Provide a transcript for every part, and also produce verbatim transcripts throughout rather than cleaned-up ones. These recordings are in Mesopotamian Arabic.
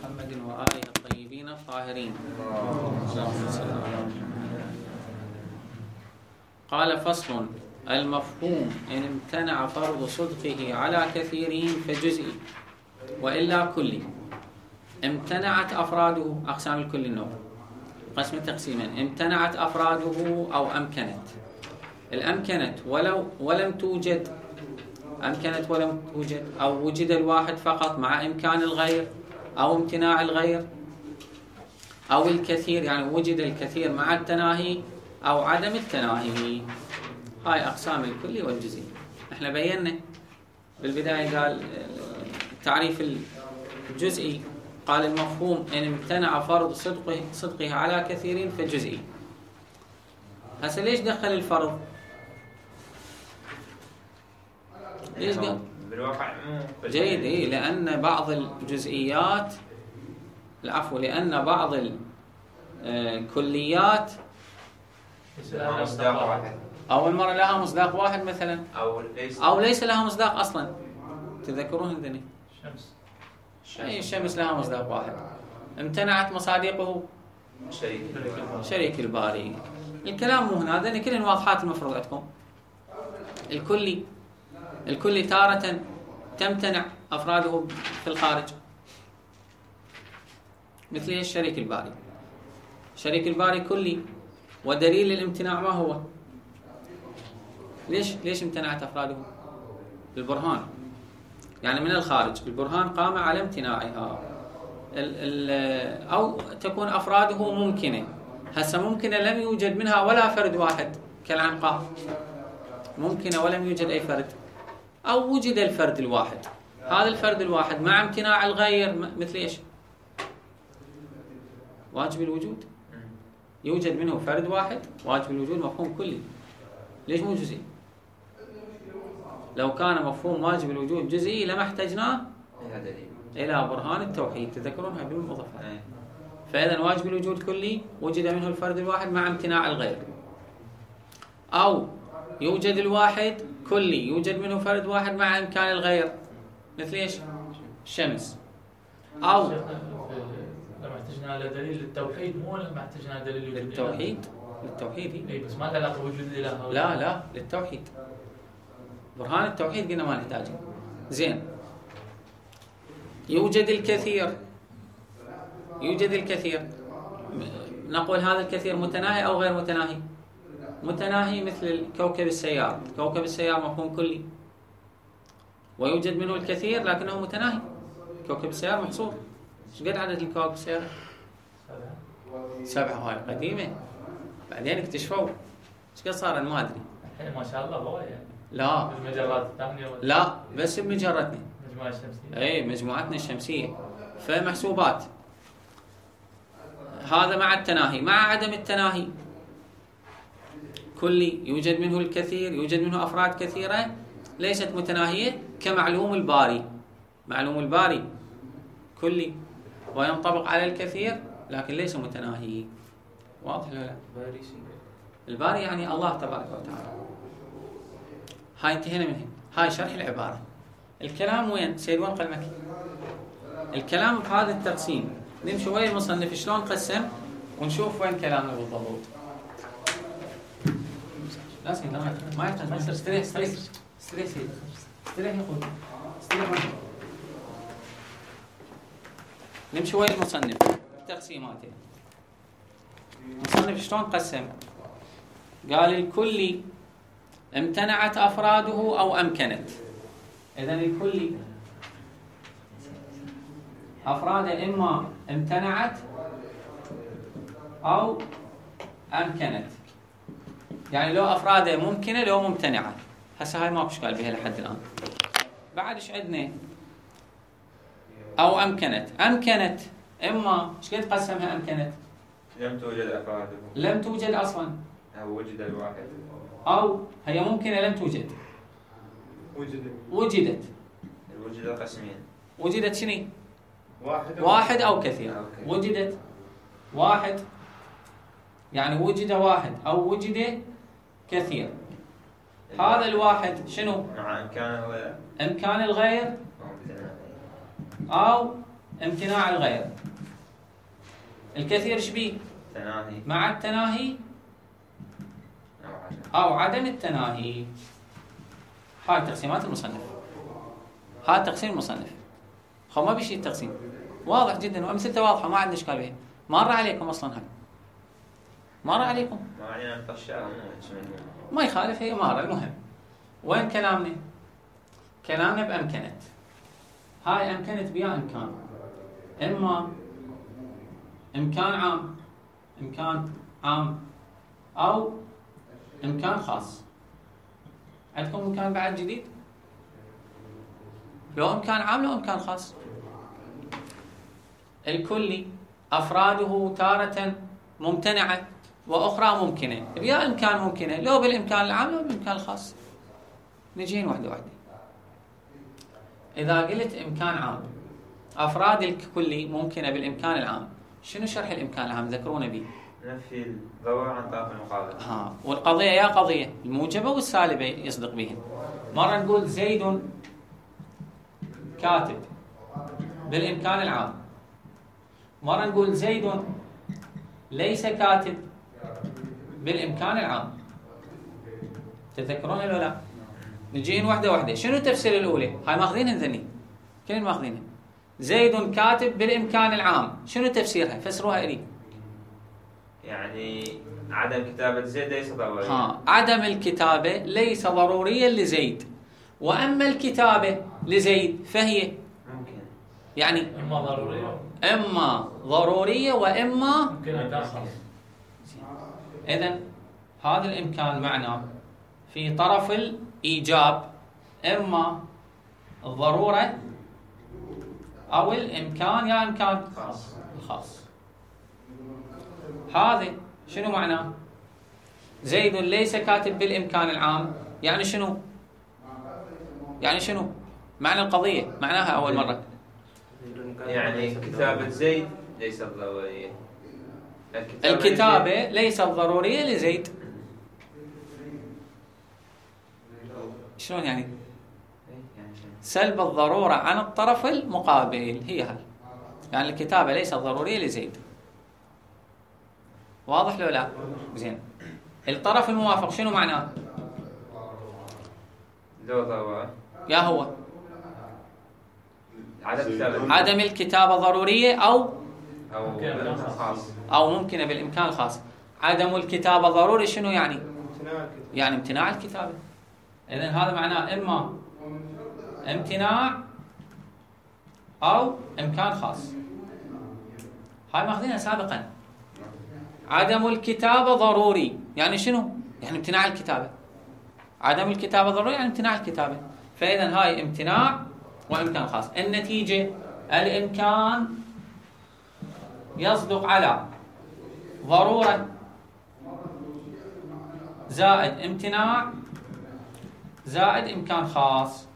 محمد وآله الطيبين الطاهرين. قال فصل: المفهوم إن امتنع فرض صدقه على كثيرين فجزئي وإلا كلي. امتنعت أفراده، أقسام الكل النوع قسم تقسيما: امتنعت أفراده أو أمكنت. الأمكنت ولو ولم توجد، أمكنت ولم توجد، أو وجد الواحد فقط مع إمكان الغير أو امتناع الغير، أو الكثير يعني وجد الكثير مع التناهي أو عدم التناهي. هاي أقسام الكلي والجزئي. احنا بينا بالبداية قال تعريف الجزئي، قال المفهوم إن امتنع فرض صدقه صدقه على كثيرين فجزئي. هسه ليش دخل الفرض؟ ليش قال؟ بالواقع جيد، إيه لأن بعض الجزئيات العفو لأن بعض الكليات مصداق واحد، أول مرة لها مصداق واحد مثلا، أو ليس أو ليس لها مصداق أصلا. تذكرون هذني؟ الشمس أي الشمس لها مصداق واحد، امتنعت مصادقه شريك شريك الباري. الكلام مو هنا، هذني كلهن واضحات المفروض عندكم. الكلي الكلي تارة تمتنع أفراده في الخارج، مثل الشريك الباري. شريك الباري كلي، ودليل الامتناع ما هو؟ ليش ليش امتنعت أفراده؟ البرهان، يعني من الخارج البرهان قام على امتناعها. ال ال أو تكون أفراده ممكنة. هسه ممكنة لم يوجد منها ولا فرد واحد كالعنقاء، ممكنة ولم يوجد أي فرد، أو وجد الفرد الواحد. هذا الفرد الواحد مع امتناع الغير مثل إيش؟ واجب الوجود، يوجد منه فرد واحد واجب الوجود مفهوم كلي. ليش مو جزئي؟ لو كان مفهوم واجب الوجود جزئي لما احتجناه إلى برهان التوحيد. تذكرون هاي بالمضافات. فإذا واجب الوجود كلي، وجد منه الفرد الواحد مع امتناع الغير. أو يوجد الواحد كلي، يوجد منه فرد واحد مع إمكان الغير، مثل إيش؟ الشمس. أو لما احتجنا على دليل التوحيد، مو لما احتجنا على دليل الوجود للتوحيد للتوحيد اي بس ما له علاقه بوجود الاله. لا لا للتوحيد، برهان التوحيد قلنا ما نحتاجه. زين، يوجد الكثير يوجد الكثير نقول هذا الكثير متناهي أو غير متناهي؟ متناهي، مثل كوكب السيار. كوكب السيار مفهوم كلي، ويوجد منه الكثير لكنه متناهي. كوكب السيار محصور. ايش قد عدد الكواكب السيارة؟ سبعة. هاي قديمة، بعدين اكتشفوا. ايش قد صار ما ادري. الحين ما شاء الله هو يعني. لا المجرات الثانية ولا لا بس بمجرتنا. المجموعة الشمسية. اي مجموعتنا الشمسية. فمحسوبات. هذا مع التناهي. مع عدم التناهي كلي، يوجد منه الكثير، يوجد منه أفراد كثيرة ليست متناهية، كمعلوم الباري. معلوم الباري كلي وينطبق على الكثير لكن ليس متناهي. واضح ولا لا؟ الباري يعني الله تبارك وتعالى. هاي انتهينا منه. هاي شرح العبارة. الكلام وين؟ سيد وين قلمك؟ الكلام بهذا التقسيم. نمشي وين المصنف شلون قسم ونشوف وين كلامنا بالضبط. لا سيد لا ما يحتاج. ما يصير. استريح استريح استريح سيد استريح يقول استريح. نمشي وين المصنف تقسيماته. المصنف شلون قسم؟ قال الكلي امتنعت أفراده أو أمكنت. إذن الكلي أفراده إما امتنعت أو أمكنت، يعني لو أفراده ممكنة لو ممتنعة. هسه هاي ماكو اشكال بها لحد الآن. بعد ايش عندنا؟ أو أمكنت. أمكنت إما ايش قد قسمها أمكنت؟ لم توجد أفراده، لم توجد أصلا، أو وجد الواحد، أو هي ممكنة لم توجد. وجدت وجدت. وجد قسمين. وجدت شنو؟ واحد أو واحد أو كثير. أو كثير. وجدت واحد يعني وجد واحد أو وجد كثير. هذا الواحد شنو؟ مع إمكان الغير إمكان الغير أو امتناع الغير. الكثير شبيه؟ تناهي مع التناهي أو عدم أو عدم التناهي. هاي تقسيمات المصنف، هاي تقسيم المصنف. خو ما بيشي التقسيم واضح جدا وأمثلته واضحة، ما عندنا إشكال بها. مر عليكم أصلا هاي، مر عليكم، ما علينا نطشها ما يخالف، هي مارة. المهم وين كلامنا؟ كلامنا بأمكنت. هاي أمكنت بيا إمكان، إما إمكان عام، إمكان عام أو إمكان خاص. عندكم إمكان بعد جديد؟ لو إمكان عام لو إمكان خاص. الكلي أفراده تارة ممتنعة وأخرى ممكنة، بيا إمكان ممكنة لو بالإمكان العام لو بالإمكان الخاص. نجين واحدة واحدة. إذا قلت إمكان عام أفراد الكلي ممكنة بالإمكان العام، شنو شرح الإمكان العام؟ ذكرونا به. نفي الضرورة عن طرف المقابل. ها، والقضية يا قضية الموجبة والسالبة يصدق بهن. مرة نقول زيد كاتب بالإمكان العام، مرة نقول زيد ليس كاتب بالإمكان العام. تذكرون ولا لا؟ نجين واحدة واحدة. شنو تفسير الأولى؟ هاي ماخذينها ذني، كلنا ماخذينها. زيد كاتب بالإمكان العام، شنو تفسيرها؟ فسروها إلي. يعني عدم كتابة زيد ليس ضروريا. ها، عدم الكتابة ليس ضروريا لزيد، وأما الكتابة لزيد فهي ممكن، يعني إما ضرورية إما ضرورية وإما ممكن إمكان خاص. إذن هذا الإمكان معناه في طرف الإيجاب إما الضرورة أو الإمكان يا إمكان خاص. الخاص. هذا شنو معناه؟ زيد ليس كاتب بالإمكان العام، يعني شنو؟ يعني شنو؟ معنى القضية معناها أول مرة يعني كتابة زيد ليست ضرورية. الكتابة ليست ضرورية لزيد. شلون يعني؟ سلب الضرورة عن الطرف المقابل هي هاي. يعني الكتابة ليست ضرورية لزيد. واضح لو لا؟ زين. الطرف الموافق شنو معناه؟ لو ضرورة يا هو عدم كتابة عدم الكتابة ضرورية أو أو بالإمكان خاص أو ممكنة بالإمكان الخاص. عدم الكتابة ضروري شنو يعني؟ امتناع يعني امتناع الكتابة. إذن هذا معناه إما امتناع أو إمكان خاص. هاي ماخذينها سابقا. عدم الكتابة ضروري يعني شنو؟ يعني امتناع الكتابة. عدم الكتابة ضروري يعني امتناع الكتابة. فإذن هاي امتناع وإمكان خاص. النتيجة الإمكان يصدق على ضرورة زائد امتناع زائد إمكان خاص.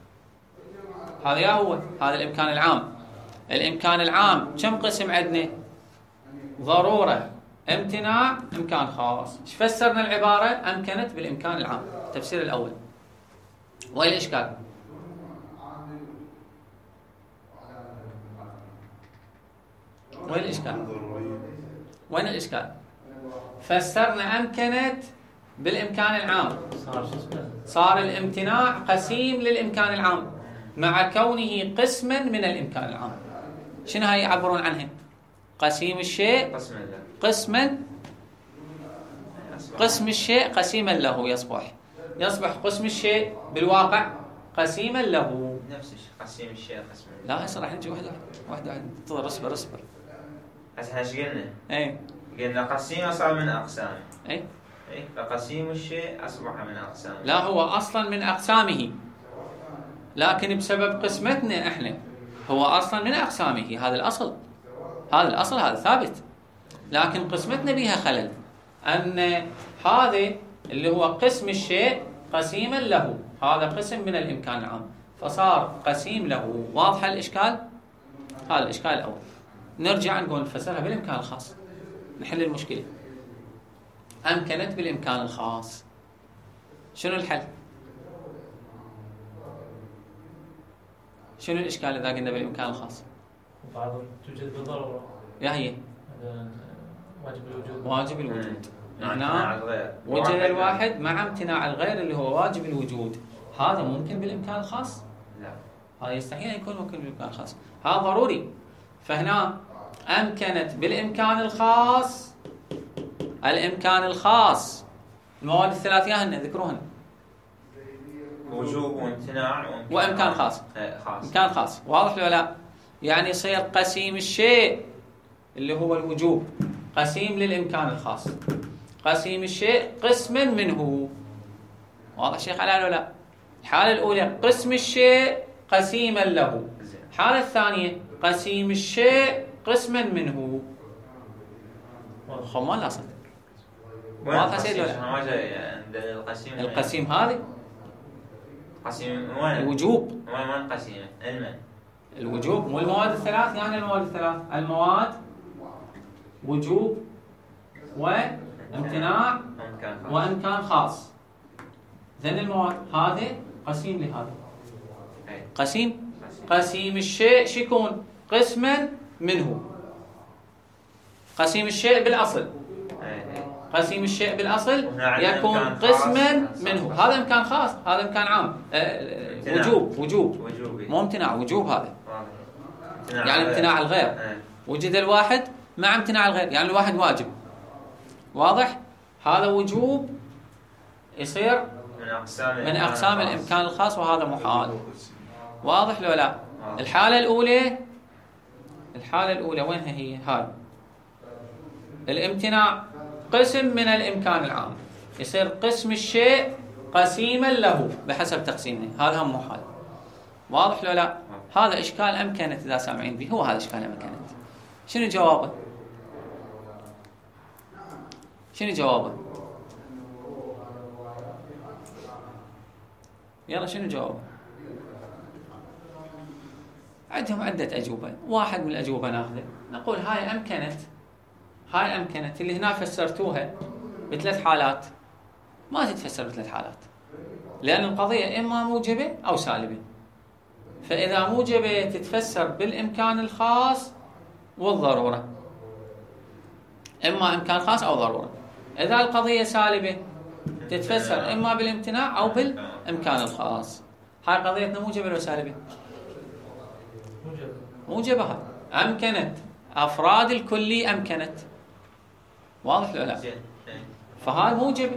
هذا يا هو هذا الإمكان العام. الإمكان العام كم قسم عندنا؟ ضرورة امتناع إمكان خاص. ايش فسرنا العبارة؟ أمكنت بالإمكان العام. التفسير الأول. وين الإشكال؟ وين الإشكال؟ وين الإشكال؟ فسرنا أمكنت بالإمكان العام، صار الامتناع قسيم للإمكان العام مع كونه قسما من الإمكان العام. شنو هاي يعبرون عنها؟ قسيم الشيء قسما، قسم الشيء قسيما له يصبح يصبح قسم الشيء بالواقع قسيما له. نفس الشيء قسيم الشيء قسما. لا هسه راح نجي واحدة واحدة واحدة. انتظر اصبر اصبر. هسه احنا ايش قلنا؟ اي قلنا قسيم صار من أقسام. اي اي فقسيم الشيء أصبح من أقسام. لا هو أصلا من أقسامه، لكن بسبب قسمتنا احنا هو أصلا من أقسامه. هذا الأصل، هذا الأصل، هذا ثابت. لكن قسمتنا بها خلل، أن هذا اللي هو قسم الشيء قسيما له، هذا قسم من الإمكان العام فصار قسيم له. واضح الإشكال؟ هذا الإشكال الأول. نرجع نقول نفسرها بالإمكان الخاص، نحل المشكلة. أمكنت بالإمكان الخاص، شنو الحل؟ شنو الإشكال إذا قلنا بالإمكان الخاص؟ وبعضهم توجد بالضرورة. يا هي هذا واجب الوجود. واجب الوجود. مع هنا امتناع الغير. وجد الواحد مع امتناع الغير اللي هو واجب الوجود. هذا ممكن بالامكان الخاص؟ لا. هذا يستحيل ان يكون ممكن بالامكان الخاص. هذا ضروري. فهنا امكنت بالامكان الخاص، الامكان الخاص، المواد الثلاثيه هن ذكروهن. وجوب وامتناع وامكان, وامكان خاص. خاص. امكان خاص، واضح ولا لا؟ يعني يصير قسيم الشيء اللي هو الوجوب قسيم للامكان الخاص، قسيم الشيء قسما منه. واضح شيخ على ولا لا؟ الحاله الاولى قسم الشيء قسيما له، الحاله الثانيه قسيم الشيء قسما منه. خمان لا صدق. واضح سيد ولا؟ ما جاي عند القسيم. القسيم هذه قسيم وين؟ الوجوب. وين وين قسيم؟ المن؟ الوجوب مو المواد الثلاث، يعني المواد الثلاث المواد وجوب وامتناع وامكان خاص. ذن المواد هذه قسيم لهذا. قسيم قسيم الشيء شو يكون؟ قسما منه. قسيم الشيء بالاصل، قسيم الشيء بالاصل يكون قسما منه. هذا امكان خاص، هذا امكان عام. أه وجوب وجوب مو امتناع، وجوب هذا يعني امتناع الغير. وجد الواحد مع امتناع الغير، يعني الواحد واجب. واضح؟ هذا وجوب يصير من اقسام من اقسام الامكان الخاص، وهذا محال. واضح لو لا؟ الحاله الاولى الحاله الاولى وينها هي؟ هاي الامتناع قسم من الامكان العام، يصير قسم الشيء قسيما له بحسب تقسيمه، هذا هم محال. واضح لو لا؟ هذا اشكال امكنت اذا سامعين به، هو هذا اشكال امكنت. شنو جوابه؟ شنو جوابه؟ يلا شنو جوابه؟ عندهم عدة أجوبة، واحد من الأجوبة ناخذه نقول هاي أمكنت، هاي أمكنت اللي هنا فسرتوها بثلاث حالات، ما تتفسر بثلاث حالات، لأن القضية إما موجبة أو سالبة. فإذا موجبة تتفسر بالإمكان الخاص والضرورة، إما إمكان خاص أو ضرورة. إذا القضية سالبة تتفسر إما بالامتناع أو بالإمكان الخاص. هاي قضيتنا موجبة ولا سالبة؟ موجبة. هاي أمكنت أفراد الكلي أمكنت. واضح ولا لا؟ فهاي موجبة،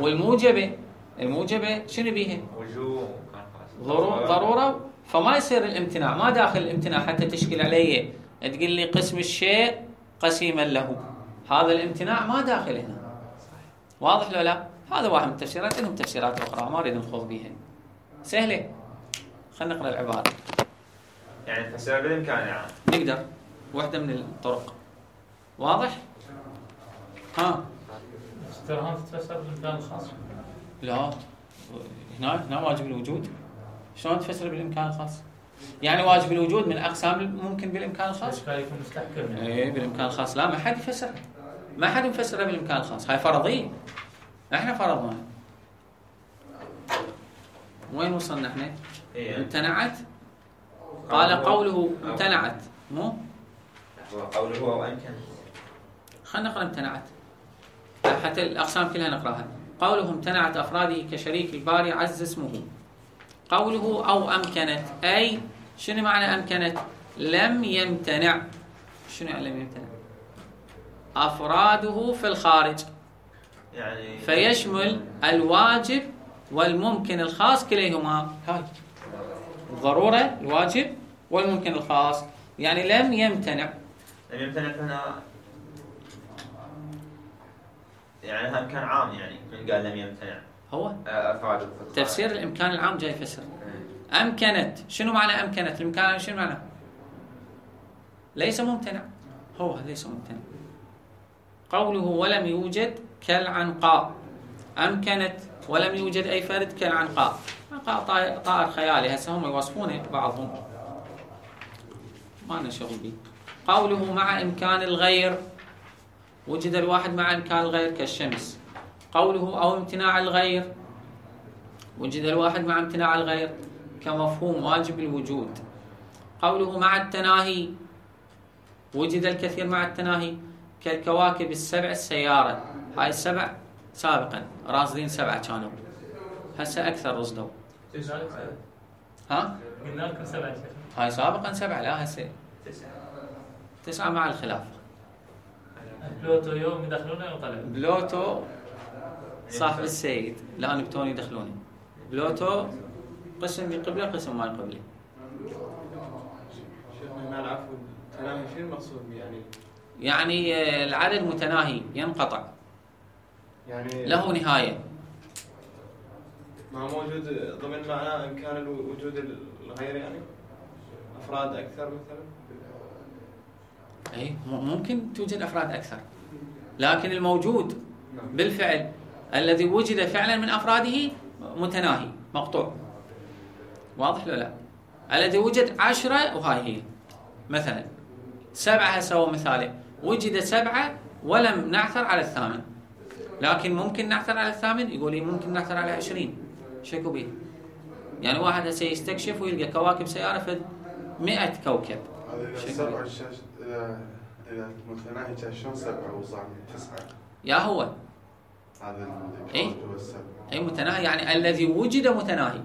والموجبة الموجبة شنو بيها؟ ضرورة. ضرورة. فما يصير الامتناع، ما داخل الامتناع حتى تشكل عليه تقول لي قسم الشيء قسيما له، هذا الامتناع ما داخل هنا. واضح ولا لا؟ هذا واحد من التفسيرات، لهم تفسيرات أخرى ما أريد نخوض بيها. سهلة. خلينا نقرأ العبارة. يعني تفسير بالإمكان يعني. نقدر واحدة من الطرق. واضح؟ ها. ترى تتفسر بالإمكان الخاص. لا. هنا هنا واجب الوجود. شلون تفسر بالإمكان الخاص؟ يعني واجب الوجود من أقسام ممكن بالإمكان الخاص. الإشكال يكون مستحكم. إيه بالإمكان الخاص، لا ما حد يفسرها. ما حد يفسرها بالإمكان الخاص، هاي فرضية. احنا فرضناها. وين وصلنا احنا؟ إيه. امتنعت. قال قوله امتنعت، مو؟ قوله هو أمكن. خلينا نقرأ امتنعت حتى الأقسام كلها نقرأها. قوله امتنعت أفراده كشريك الباري عز اسمه. قوله أو أمكنت، أي شنو معنى أمكنت؟ لم يمتنع. شنو يعني لم يمتنع؟ أفراده في الخارج، يعني فيشمل الواجب والممكن الخاص كليهما. هاي الضرورة الواجب والممكن الخاص، يعني لم يمتنع. لم يمتنع هنا يعني هم كان عام، يعني من قال لم يمتنع هو أفراده تفسير الإمكان العام جاي يفسر. أمكنت شنو معنى أمكنت؟ الإمكان شنو معنى؟ ليس ممتنع، هو ليس ممتنع. قوله ولم يوجد كالعنقاء. أمكنت ولم يوجد أي فرد كالعنقاء. عنقاء طائر خيالي، هسه هم يوصفونه بعضهم ما لنا شغل به. قوله مع إمكان الغير، وجد الواحد مع إمكان الغير كالشمس. قوله أو امتناع الغير، وجد الواحد مع امتناع الغير كمفهوم واجب الوجود. قوله مع التناهي، وجد الكثير مع التناهي كالكواكب السبع السيارة. هاي السبع سابقا راصدين سبعة كانوا، هسه أكثر رصدوا. ها؟ قلنا لكم سبعة. هاي سابقا سبعة، لا هسه تسعة مع الخلاف. بلوتو يوم يدخلونه وطلع. بلوتو صاحب السيد، لا نبتون يدخلوني. بلوتو قسم يقبله قسم ما يقبله. شيخنا العفو، التناهي شو المقصود يعني؟ يعني العدد متناهي ينقطع، يعني له نهاية. ما موجود ضمن معناه إمكان الوجود الغير يعني؟ أفراد أكثر مثلا؟ أي ممكن توجد أفراد أكثر، لكن الموجود بالفعل الذي وجد فعلا من أفراده متناهي مقطوع. واضح لو لا؟ الذي وجد عشرة وهاي هي مثلا سبعة، هسه مثاله وجد سبعة ولم نعثر على الثامن، لكن ممكن نعثر على الثامن. يقول لي ممكن نعثر على عشرين، شكو بيه؟ يعني واحد هسه يستكشف ويلقى كواكب سيارة في مئة كوكب. هذا سبعة الشاشة إذا متناهي كان شلون سبعة وصار تسعة؟ يا هو هذا إيه؟ هو السبعة. أي متناهي يعني الذي وجد متناهي،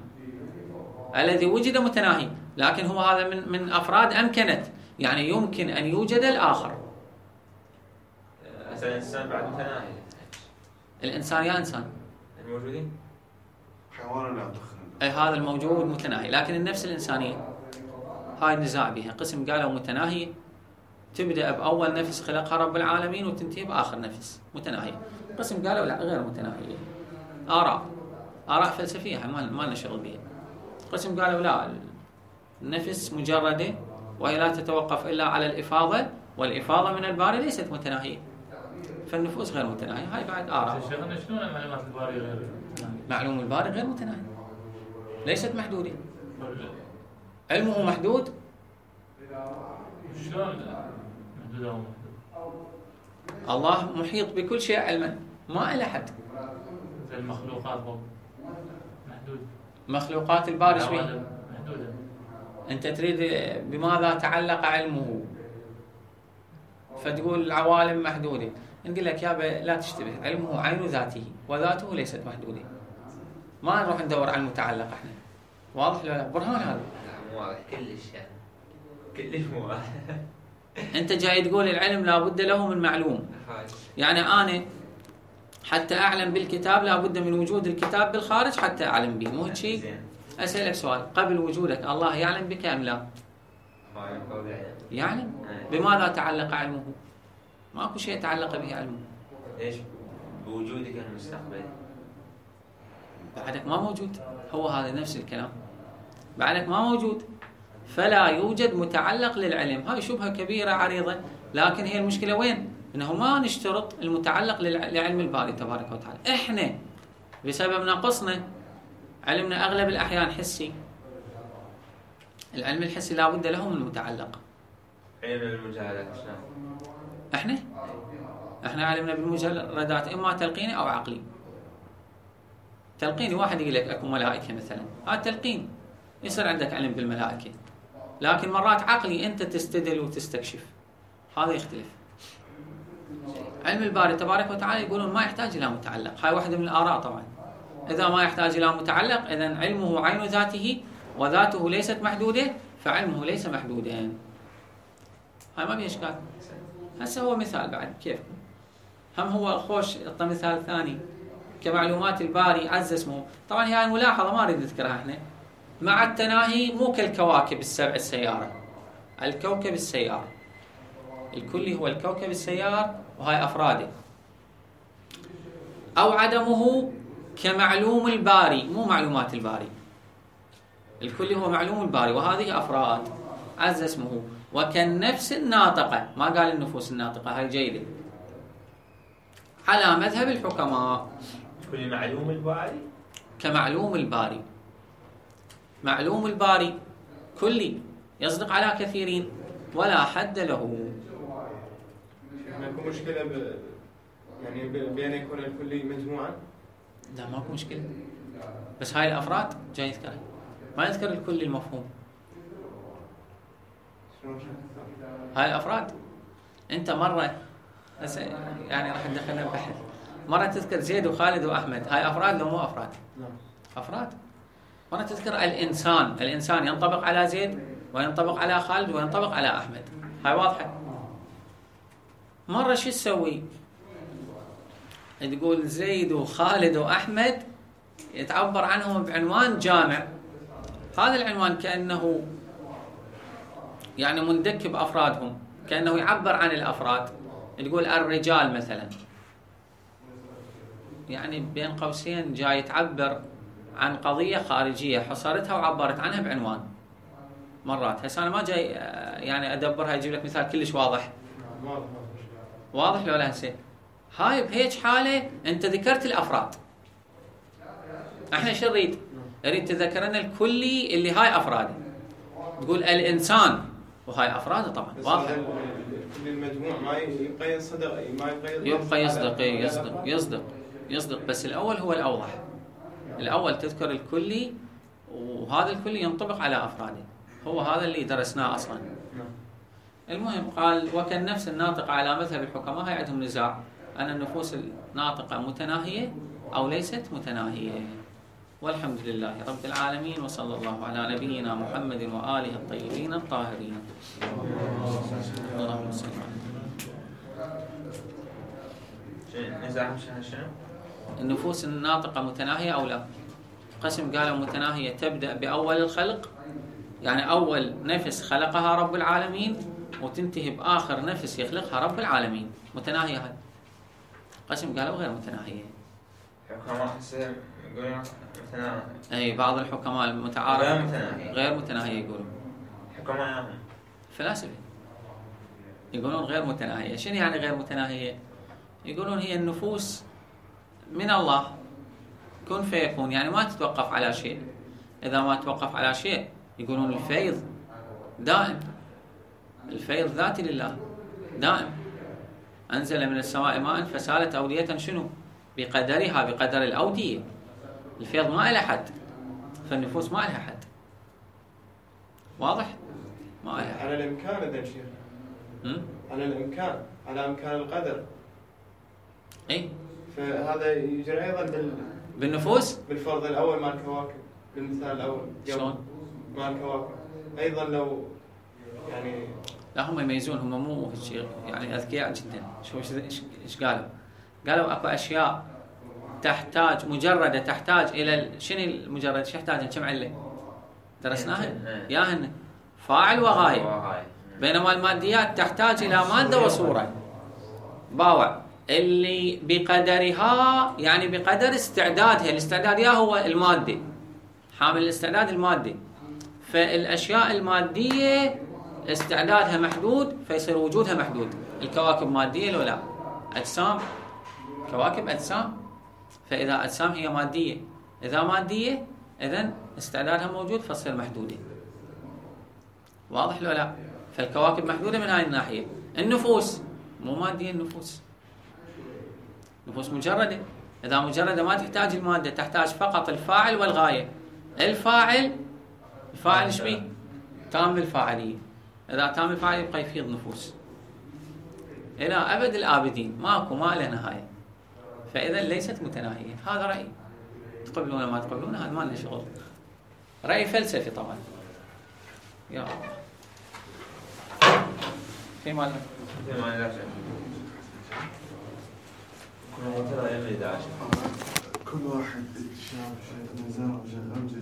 الذي وجد متناهي، لكن هو هذا من من أفراد أمكنت، يعني يمكن أن يوجد الآخر. هسه الإنسان بعد متناهي. الإنسان يا إنسان الموجودين حيوان لا تخن. أي هذا الموجود متناهي، لكن النفس الإنسانية هاي النزاع بها. قسم قالوا متناهي تبدأ بأول نفس خلقها رب العالمين وتنتهي بآخر نفس متناهية. قسم قالوا لا غير متناهية. آراء آراء فلسفية ما ما لنا شغل بها. قسم قالوا لا، النفس مجردة وهي لا تتوقف إلا على الإفاضة، والإفاضة من الباري ليست متناهية، فالنفوس غير متناهية. هاي بعد آراء. شيخنا شلون معلومات الباري غير؟ معلوم الباري غير متناهي، ليست محدودة. علمه محدود. شلون محدود أو محدود؟ الله محيط بكل شيء علما، ما إلى حد. زي المخلوقات مو محدود. مخلوقات الباري شوي محدودة. أنت تريد بماذا تعلق علمه، فتقول العوالم محدودة. نقول لك يابا لا تشتبه، علمه عين ذاته وذاته ليست محدودة. ما نروح ندور على المتعلق احنا. واضح ولا لا؟ برهان هذا. مو واضح كلش يعني. كلش مو واضح. أنت جاي تقول العلم لا بد له من معلوم. يعني أنا حتى أعلم بالكتاب لا بد من وجود الكتاب بالخارج حتى أعلم به، مو هيك شيء؟ أسألك سؤال، قبل وجودك الله يعلم بك أم لا؟ يعلم. بماذا تعلق علمه؟ ماكو شيء تعلق به علمه. ليش؟ بوجودك المستقبل. بعدك ما موجود، هو هذا نفس الكلام. بعدك ما موجود، فلا يوجد متعلق للعلم. هاي شبهة كبيرة عريضة، لكن هي المشكلة وين؟ إنه ما نشترط المتعلق لعلم الباري تبارك وتعالى. إحنا بسبب نقصنا علمنا أغلب الأحيان حسي. العلم الحسي لا بد له من متعلق. علم المجالات شلون؟ إحنا إحنا علمنا بالمجردات إما تلقيني أو عقلي. تلقيني واحد يقول لك أكو ملائكة مثلا، هذا تلقين يصير عندك علم بالملائكة، لكن مرات عقلي أنت تستدل وتستكشف، هذا يختلف. علم الباري تبارك وتعالى يقولون ما يحتاج إلى متعلق. هاي واحدة من الآراء طبعا. إذا ما يحتاج إلى متعلق إذن علمه عين ذاته وذاته ليست محدودة، فعلمه ليس محدودا. هاي ما فيها إشكال. هسه هو مثال بعد كيف هم هو خوش. اعطى مثال ثاني كمعلومات الباري عز اسمه. طبعا هي الملاحظة ما أريد أذكرها احنا. مع التناهي مو كالكواكب السبع السيارة، الكوكب السيار الكلي هو الكوكب السيار وهاي أفراده. أو عدمه كمعلوم الباري، مو معلومات الباري. الكلي هو معلوم الباري وهذه أفراد عز اسمه. وكالنفس الناطقة، ما قال النفوس الناطقة، هاي جيدة على مذهب الحكماء. كل معلوم الباري كمعلوم الباري. معلوم الباري كلي يصدق على كثيرين ولا حد له. ماكو مشكلة ب... يعني ب... بأن يكون الكلي مجموعا؟ لا ماكو مشكلة، بس هاي الأفراد جاي يذكرها، ما يذكر الكل المفهوم. هاي الأفراد. أنت مرة هسه يعني راح ندخلها ببحث، مرة تذكر زيد وخالد وأحمد، هاي أفراد لو مو أفراد؟ أفراد. مرة تذكر الإنسان، الإنسان ينطبق على زيد وينطبق على خالد وينطبق على أحمد، هاي واضحة. مرة شو تسوي؟ تقول زيد وخالد وأحمد يتعبر عنهم بعنوان جامع، هذا العنوان كأنه يعني مندك بأفرادهم، كأنه يعبر عن الأفراد. تقول الرجال مثلا، يعني بين قوسين جاي تعبر عن قضية خارجية حصرتها وعبرت عنها بعنوان. مرات هسه أنا ما جاي يعني أدبرها أجيب لك مثال كلش واضح. واضح لو لا؟ هسه هاي بهيج حالة أنت ذكرت الأفراد، احنا شو نريد؟ نريد تذكرنا الكلي اللي هاي أفراده، تقول الإنسان وهاي أفراده طبعا واضح. كل المجموع ما يبقى يصدق، ما يبقى يبقى يصدق يصدق يصدق يصدق بس الأول هو الأوضح. الأول تذكر الكلي وهذا الكلي ينطبق على أفراده، هو هذا اللي درسناه أصلا. المهم قال وكالنفس الناطقة على مذهب الحكماء، هاي عندهم نزاع أن النفوس الناطقة متناهية أو ليست متناهية. والحمد لله رب العالمين، وصلى الله على نبينا محمد وآله الطيبين الطاهرين. اللهم صل على نزاعهم شنو؟ النفوس الناطقة متناهية أو لا؟ قسم قالوا متناهية تبدأ بأول الخلق، يعني أول نفس خلقها رب العالمين وتنتهي بآخر نفس يخلقها رب العالمين، متناهية. هاي قسم قالوا غير متناهية. حكماء حسين يقولون متناهية. أي بعض الحكماء المتعارف غير متناهية، غير متناهية يقولون. حكماء فلاسفة يقولون غير متناهية. شنو يعني غير متناهية؟ يقولون هي النفوس من الله كن فيكون، يعني ما تتوقف على شيء. إذا ما توقف على شيء يقولون الفيض دائم، الفيض ذاتي لله دائم. أنزل من السماء ماء فسالت أودية شنو؟ بقدرها، بقدر الأودية. الفيض ما إلى حد، فالنفوس ما إلها حد. واضح؟ ما إلها حد. على الإمكان إذا شيخ، على الإمكان، على إمكان القدر. إيه؟ فهذا يجري أيضا بال بالنفوس؟ بالفرض الأول مال الكواكب، بالمثال الأول. شلون؟ مال الكواكب أيضا لو يعني لا هم يميزون، هم مو هيك يعني أذكياء جدا. شو ايش قالوا؟ قالوا اكو اشياء تحتاج مجرده تحتاج الى شنو المجرد؟ شو يحتاج؟ كم عله درسناها ياهن فاعل وغايه، بينما الماديات تحتاج الى ماده وصوره. باوع اللي بقدرها، يعني بقدر استعدادها. الاستعداد يا هو الماده، حامل الاستعداد المادي. فالاشياء الماديه استعدادها محدود فيصير وجودها محدود. الكواكب ماديه لو لا؟ اجسام، كواكب اجسام. فاذا اجسام هي ماديه، اذا ماديه اذا استعدادها موجود فتصير محدوده. واضح لو لا؟ فالكواكب محدوده من هاي الناحيه. النفوس مو ماديه، النفوس نفوس مجرده. اذا مجرده ما تحتاج الماده، تحتاج فقط الفاعل والغايه. الفاعل الفاعل ايش بيه؟ تام الفاعليه. اذا تام الفاعل يبقى يفيض نفوس الى ابد الابدين، ماكو ما له نهايه. فاذا ليست متناهيه. هذا راي، تقبلونه ما تقبلونه هذا ما لنا شغل. راي فلسفي طبعا. يا الله. في مال في مال كل واحد شاف شيء نزار وشغل